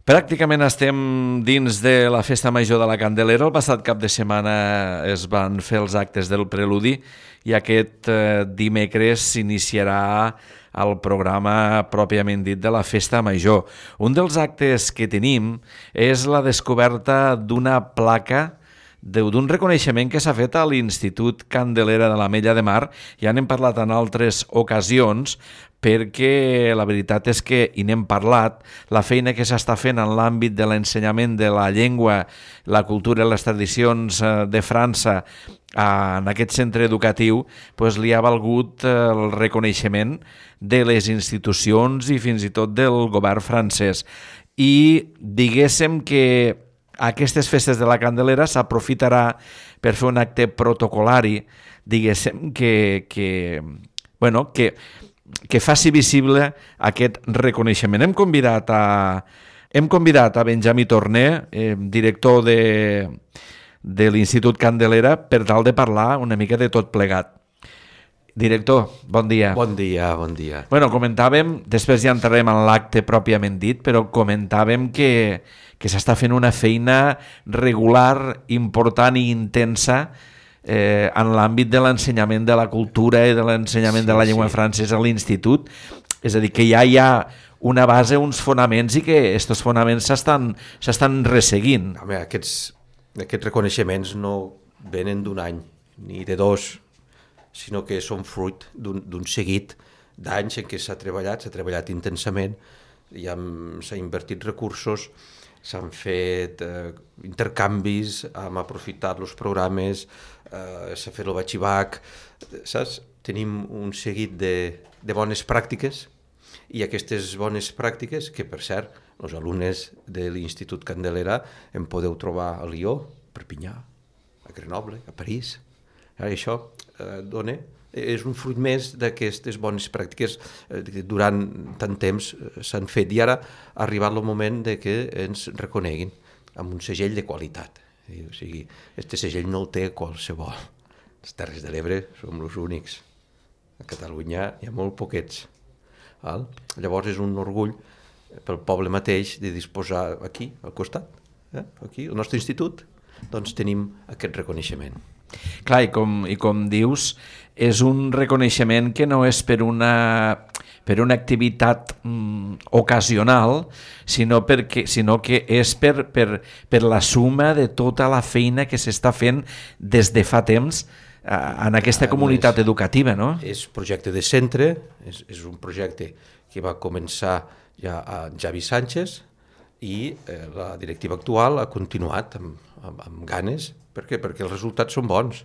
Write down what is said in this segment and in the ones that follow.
Pràcticament estem dins de la Festa Major de la Candelera. El passat cap de setmana es van fer els actes del preludi i aquest dimecres s'iniciarà el programa pròpiament dit de la Festa Major. Un dels actes que tenim és la descoberta d'una placa d'un reconeixement que s'ha fet a l'Institut Candelera de l'Ametlla de Mar. Ja n'hem parlat en altres ocasions perquè la veritat és que, i n'hem parlat, la feina que s'està fent en l'àmbit de l'ensenyament de la llengua, la cultura i les tradicions de França en aquest centre educatiu li ha valgut el reconeixement de les institucions i fins i tot del govern francès. I diguéssim que aquestes festes de la Candelera s'aprofitarà per fer un acte protocolari, diguéssim, que faci visible aquest reconeixement. Hem convidat a Benjamí Torné, director de l'Institut Candelera, per tal de parlar una mica de tot plegat. Director, bon dia. Bon dia, bon dia. Bueno, comentàvem, després ja entrarem en l'acte pròpiament dit, però comentàvem que s'està fent una feina regular, important i intensa en l'àmbit de l'ensenyament de la cultura i de l'ensenyament de la llengua francesa a l'institut. És a dir, que ja hi ha una base, uns fonaments i que aquests fonaments s'estan resseguint. Home, aquests reconeixements no venen d'un any ni de dos, sinó que són fruit d'un seguit d'anys en què s'ha treballat intensament, s'ha invertit recursos, s'han fet intercanvis, hem aprofitat els programes, s'ha fet el batxibac, saps? Tenim un seguit de bones pràctiques i aquestes bones pràctiques, que per cert, els alumnes de l'Institut Candelera en podeu trobar a Lió, a Perpinyà, a Grenoble, a París. Això és un fruit més d'aquestes bones pràctiques que durant tant temps s'han fet i ara ha arribat el moment de que ens reconeguin amb un segell de qualitat. O sigui, aquest segell no el té qualsevol. Les Terres de l'Ebre som els únics. A Catalunya hi ha molt poquets. Llavors és un orgull pel poble mateix de disposar aquí, al costat, aquí, al nostre institut, doncs tenim aquest reconeixement. Clar, i com dius, és un reconeixement que no és per una activitat ocasional, sinó que és per la suma de tota la feina que s'està fent des de fa temps en aquesta comunitat educativa, no? És projecte de centre, és un projecte que va començar ja a Javi Sánchez i la directiva actual ha continuat amb ganes. Per què? Perquè els resultats són bons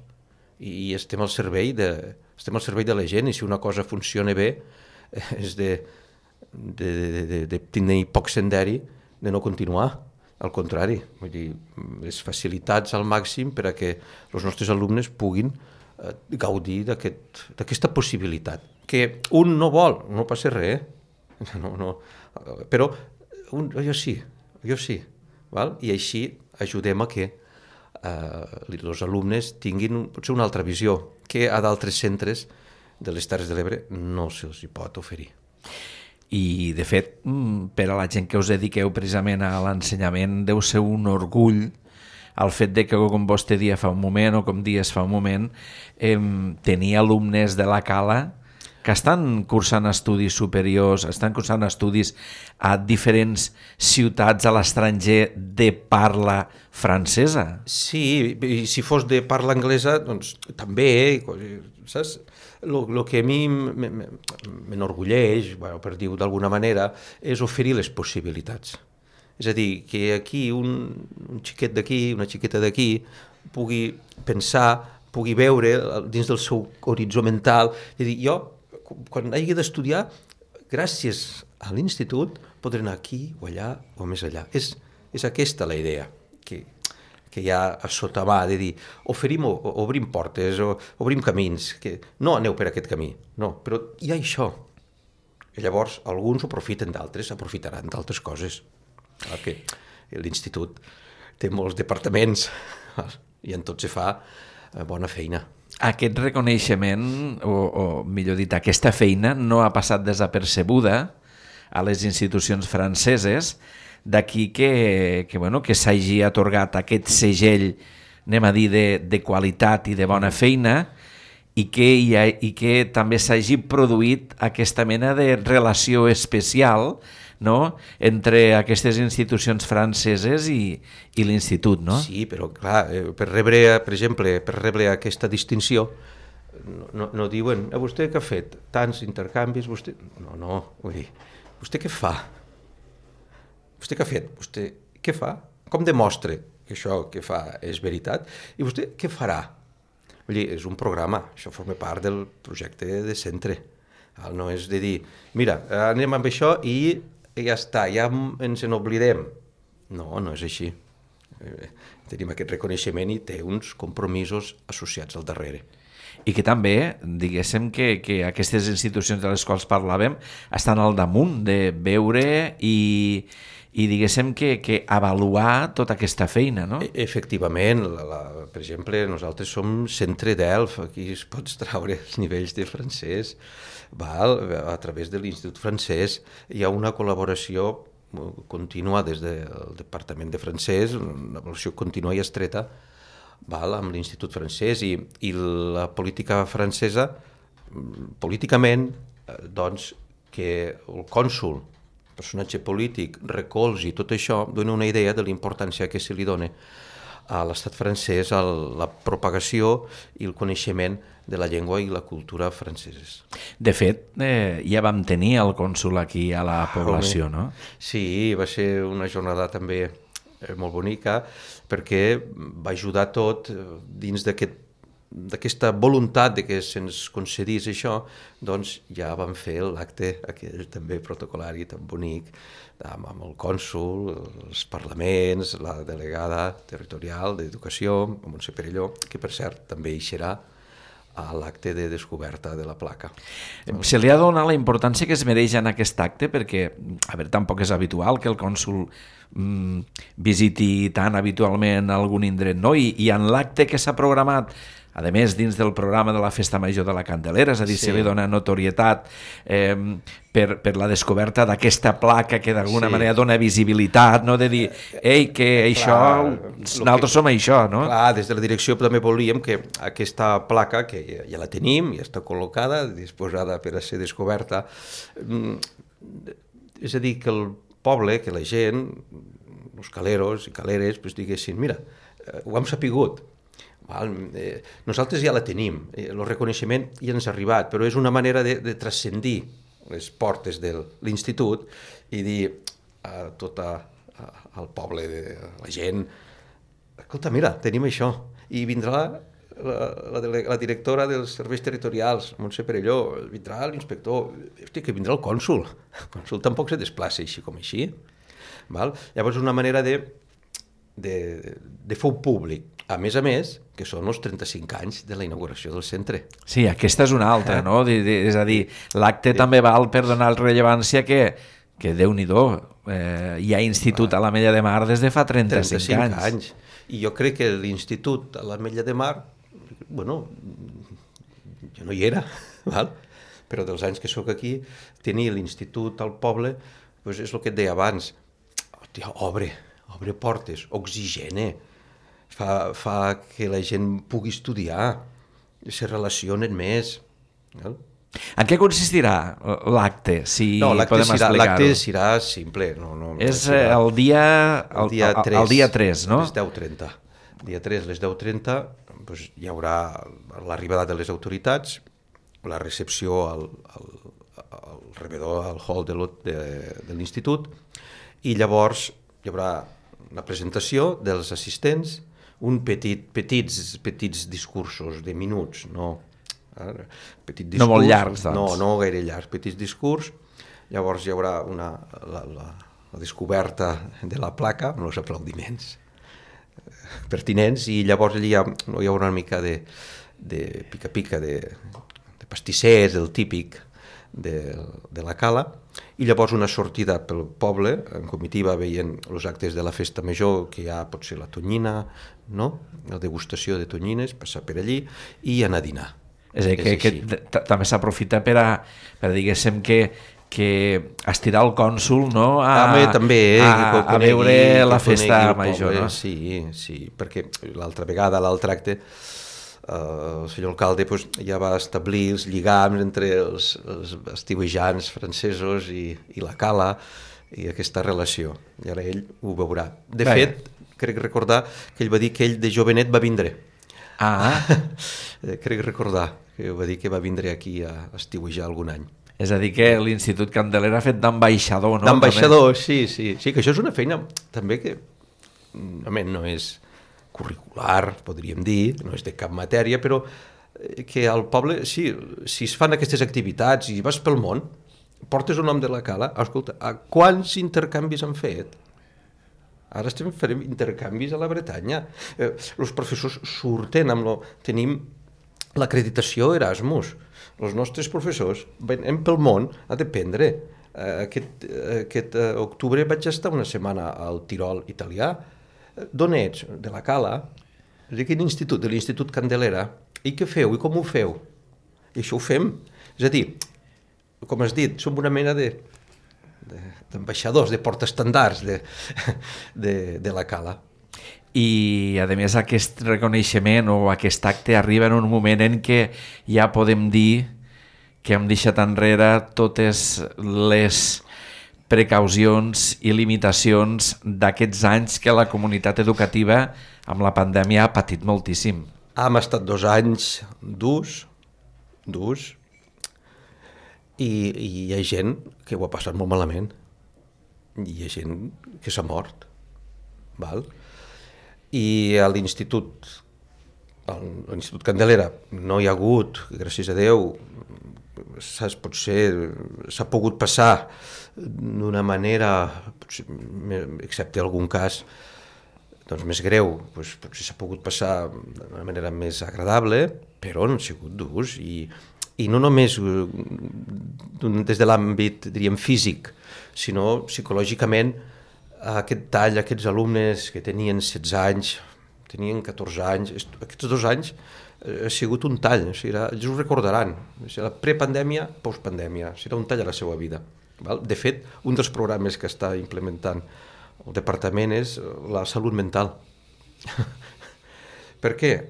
i estem al servei de la gent, i si una cosa funciona bé és de tenir poc senderi de no continuar. Al contrari, vull dir, les facilitats al màxim per a que els nostres alumnes puguin gaudir d'aquesta possibilitat. Que un no vol, no passa res, no, però jo sí, val? I així ajudem a que els alumnes tinguin potser una altra visió que a d'altres centres de les Terres de l'Ebre no se'ls pot oferir. I, de fet, per a la gent que us dediqueu precisament a l'ensenyament, deu ser un orgull el fet de que, com vostè dia fa un moment, o com dies fa un moment, tenir alumnes de la Cala que estan cursant estudis superiors, estan cursant estudis a diferents ciutats a l'estranger de parla francesa. Sí, i si fos de parla anglesa, doncs també, saps? El que a mi m'enorgulleix, per dir-ho d'alguna manera, és oferir les possibilitats. És a dir, que aquí un xiquet d'aquí, una xiqueta d'aquí, pugui pensar, pugui veure dins del seu horitzó mental, és a dir, jo, quan hagi d'estudiar, gràcies a l'institut, podré anar aquí o allà o més allà. És aquesta la idea que hi ha a sota mà, de dir, obrim portes, obrim camins, que no aneu per aquest camí, no, però hi ha això. I llavors alguns ho aprofiten, d'altres aprofitaran d'altres coses. Que l'institut té molts departaments i en tot se fa bona feina. Aquest reconeixement, o millor dit, aquesta feina no ha passat desapercebuda a les institucions franceses, d'aquí que s'hagi atorgat aquest segell, anem a dir, de qualitat i de bona feina, i que també s'hagi produït aquesta mena de relació especial, no?, entre aquestes institucions franceses i l'institut, no? Sí, però clar, per rebre aquesta distinció no diuen, vostè què ha fet? Tants intercanvis, vostè... No, vull dir, vostè què fa? Vostè què ha fet? Vostè què fa? Com demostra que això que fa és veritat? I vostè què farà? Vull dir, és un programa, això forma part del projecte de centre. No és de dir, mira, anem amb això i ja està, ja ens n'oblidem. No és així. Tenim aquest reconeixement i té uns compromisos associats al darrere. I que també, diguéssim, que aquestes institucions de les quals parlàvem estan al damunt de veure i diguéssim que avaluar tota aquesta feina, no? Efectivament, per exemple, nosaltres som centre d'ELF, aquí es pots traure els nivells de francès, a través de l'Institut francès hi ha una col·laboració contínua des del Departament de francès, una relació contínua i estreta amb l'Institut francès i la política francesa, políticament, doncs, que el cònsol, personatge polític, recolzi tot això, dona una idea de l'importància que se li dona a l'estat francès a la propagació i el coneixement de la llengua i la cultura franceses. De fet, ja vam tenir el cònsol aquí a la població, no? Sí, va ser una jornada també molt bonica perquè va ajudar tot dins d'aquesta voluntat de que se'ns concedís això, doncs ja vam fer l'acte aquell també protocolari tan bonic amb el cònsol, els parlaments, la delegada territorial d'Educació, Montse Perelló, que per cert també hi serà a l'acte de descoberta de la placa. Se li ha donat la importància que es mereix en aquest acte perquè, a veure, tampoc és habitual que el cònsol visiti tan habitualment algun indret, no? I en l'acte que s'ha programat, a més, dins del programa de la Festa Major de la Candelera, és a dir, se li dona notorietat per la descoberta d'aquesta placa que d'alguna manera dona visibilitat, no? De dir, ei, que això, nosaltres som això, no? Clar, des de la direcció també volíem que aquesta placa, que ja la tenim, ja està col·locada, disposada per a ser descoberta, és a dir, que el poble, que la gent, els caleros i caleres, diguessin, mira, ho hem sapigut, nosaltres ja la tenim, el reconeixement ja ens ha arribat, però és una manera de transcendir les portes de l'institut i dir a tot el poble, la gent, escolta, mira, tenim això, i vindrà la directora dels serveis territorials, Montse Perelló, vindrà l'inspector, que vindrà el cònsol tampoc se desplaça així com així. Llavors és una manera de fer públic, a més, que són els 35 anys de la inauguració del centre. Sí, aquesta és una altra, no? És a dir, l'acte també val per donar rellevància que Déu-n'hi-do, hi ha institut a l'Ametlla de Mar des de fa 35 anys. I jo crec que l'institut a l'Ametlla de Mar, bueno, jo no hi era, però dels anys que sóc aquí, tenir l'institut al poble, és el que et deia abans, obre portes, oxigena, fa que la gent pugui estudiar, se relacionen més. En què consistirà l'acte, si podem explicar-ho? L'acte serà simple. És el dia 3, no? Les 10:30. Dia 3, les 10:30, hi haurà l'arribada de les autoritats, la recepció al rebedor, al hall de l'institut, i llavors hi haurà la presentació dels assistents, petits discursos de minuts, no molt llargs, doncs. No gaire llargs, petits discurs. Llavors hi haurà la descoberta de la placa amb els aplaudiments pertinents i llavors allà hi haurà una mica de pica-pica, de pastissers, el típic de la cala, i llavors una sortida pel poble, en comitiva veient els actes de la festa major, que hi ha potser la tonyina, no? La degustació de tonyines, passar per allí i anar a dinar. És a dir, que també s'aprofita per diguéssim, que que estirar el cònsol, no? També, a veure la festa major, no? Sí, perquè l'altre acte el senyor alcalde ja va establir els lligams entre els estiuejants francesos i la cala i aquesta relació, i ara ell ho veurà. De fet, crec recordar que ell va dir que ell de jovenet va vindre. Crec recordar que va dir que va vindre aquí a estiuejar algun any. És a dir, que l'Institut Candelera ha fet d'ambaixador, no? D'ambaixador, sí, que això és una feina també que no és curricular, podríem dir, no és de cap matèria, però que al poble, si es fan aquestes activitats i vas pel món, portes el nom de la cala, escolta, quants intercanvis han fet? Ara farem intercanvis a la Bretanya. Els professors surten tenim l'acreditació Erasmus. Els nostres professors venim pel món a dependre. Aquest octubre vaig estar una setmana al Tirol italià. D'on ets? De la Cala. De quin institut? De l'Institut Candelera. I què feu? I com ho feu? I això ho fem. És a dir, com has dit, som una mena d'ambaixadors, de portaestandards de la Cala. I, a més, aquest reconeixement o aquest acte arriba en un moment en què ja podem dir que hem deixat enrere totes les precaucions i limitacions d'aquests anys que la comunitat educativa amb la pandèmia ha patit moltíssim. Hem estat 2 anys durs, i hi ha gent que ho ha passat molt malament. Hi ha gent que s'ha mort, val? I a l'Institut Candelera no hi ha hagut, gràcies a Déu, potser s'ha pogut passar d'una manera, excepte algun cas més greu, potser s'ha pogut passar d'una manera més agradable, però han sigut durs i no només des de l'àmbit, diríem, físic, sinó psicològicament. Aquest tall, aquests alumnes que tenien 16 anys, tenien 14 anys, aquests 2 anys ha sigut un tall, ells ho recordaran, la prepandèmia, postpandèmia, serà un tall a la seva vida. De fet, un dels programes que està implementant el departament és la salut mental. Per què?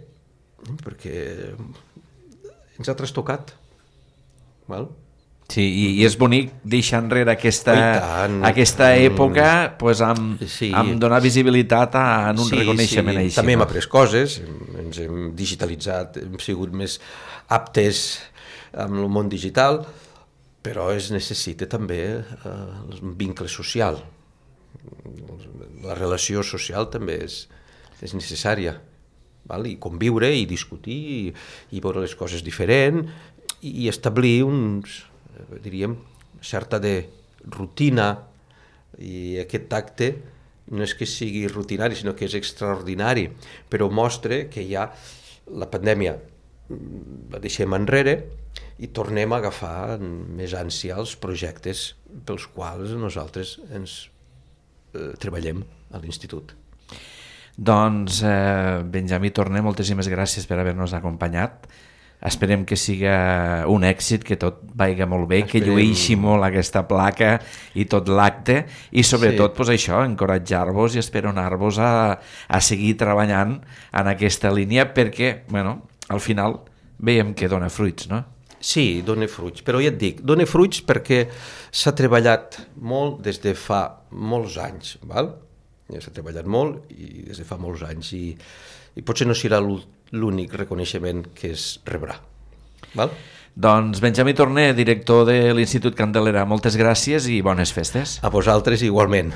Perquè ens ha trastocat. Sí, i és bonic deixar enrere aquesta època amb donar visibilitat en un reconeixement així. També hem après coses, ens hem digitalitzat, hem sigut més aptes amb el món digital, però es necessita també un vincle social. La relació social també és necessària, i conviure i discutir i veure les coses diferent i establir diríem, certa de rutina, i aquest acte no és que sigui rutinari, sinó que és extraordinari, però mostra que ja la pandèmia la deixem enrere i tornem a agafar més ànsia els projectes pels quals nosaltres ens treballem a l'Institut. Doncs, Benjamí Torner, moltíssimes gràcies per haver-nos acompanyat. Esperem que siga un èxit, que tot vagi molt bé, que llueixi molt aquesta placa i tot l'acte, i sobretot això, encoratjar-vos i esperonar-vos a seguir treballant en aquesta línia, perquè al final veiem que dona fruits, no? Sí, dona fruits, però ja et dic, dona fruits perquè s'ha treballat molt des de fa molts anys, val? Ja s'ha treballat molt i des de fa molts anys, i potser no serà l'únic reconeixement que es rebrà. Val? Doncs Benjamí Torner, director de l'Institut Candelera, moltes gràcies i bones festes. A vosaltres igualment.